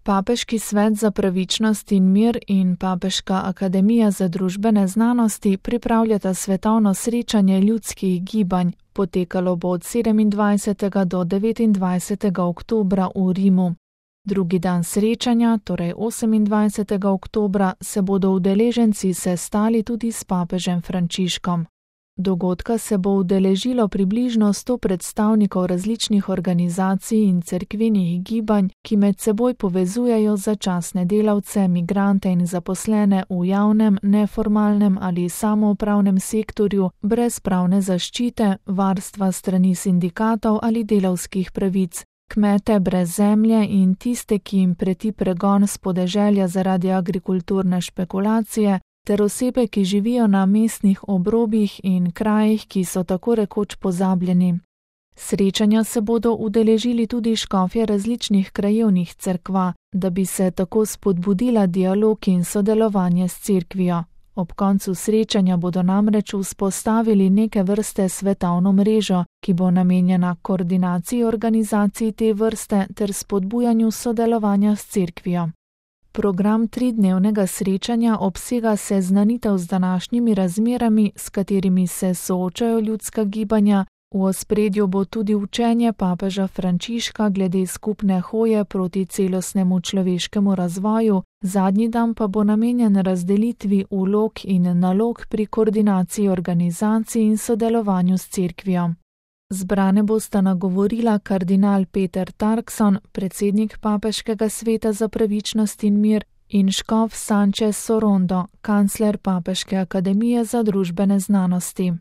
Papeški svet za pravičnost in mir in Papeška akademija za družbene znanosti pripravljata svetovno srečanje ljudskih gibanj. Potekalo bo od 27. do 29. oktobra v Rimu. Drugi dan srečanja, torej 28. oktobra, se bodo udeleženci sestali tudi s papežem Frančiškom. Dogodka se bo udeležilo približno 100 predstavnikov različnih organizacij in cerkvenih gibanj, ki med seboj povezujejo začasne delavce, migrante in zaposlene v javnem, neformalnem ali samoupravnem sektorju brez pravne zaščite, varstva strani sindikatov ali delavskih pravic, kmete brez zemlje in tiste, ki jim preti pregon s podeželja zaradi agrikulturne špekulacije, ter osebe, ki živijo na mestnih obrobjih in krajih, ki so tako rekoč pozabljeni. Srečanja se bodo udeležili tudi škofje različnih krajevnih cerkva, da bi se tako spodbudila dialog in sodelovanje s cerkvijo. Ob koncu srečanja bodo namreč vzpostavili neke vrste svetovno mrežo, ki bo namenjena koordinaciji organizacij te vrste ter spodbujanju sodelovanja s cerkvijo. Program 3-dnevnega srečanja obsega seznanitev z današnjimi razmerami, s katerimi se soočajo ljudska gibanja. V ospredju bo tudi učenje papeža Frančiška glede skupne hoje proti celostnemu človeškemu razvoju, zadnji dan pa bo namenjen razdelitvi vlog in nalog pri koordinaciji organizacij in sodelovanju s cerkvijo. Zbrane bosta nagovorila kardinal Peter Turkson, predsednik Papeškega sveta za pravičnost in mir, in škof Sanchez Sorondo, kancler Papeške akademije za družbene znanosti.